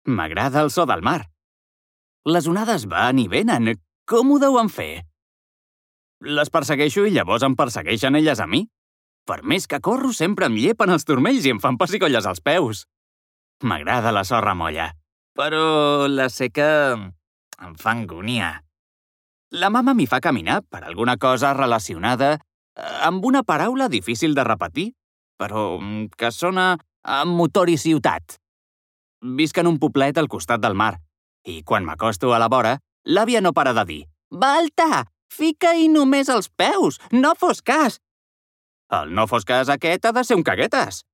M'agrada el so del mar. Les onades van i venen. Com ho deuen fer? Les persegueixo i llavors em persegueixen elles a mi. Per més que corro, sempre em llepen els turmells i em fan pessigolles als peus. M'agrada la sorra molla, però la seca em fa angúnia. La mama m'hi fa caminar per alguna cosa relacionada amb una paraula difícil de repetir, però que sona a motor i ciutat. Visc en un poblet al costat del mar, i quan m'acosto a la vora, l'àvia no para de dir «Balta, fica-hi només els peus, no fos cas!» El no fos cas aquest ha de ser un caguetes.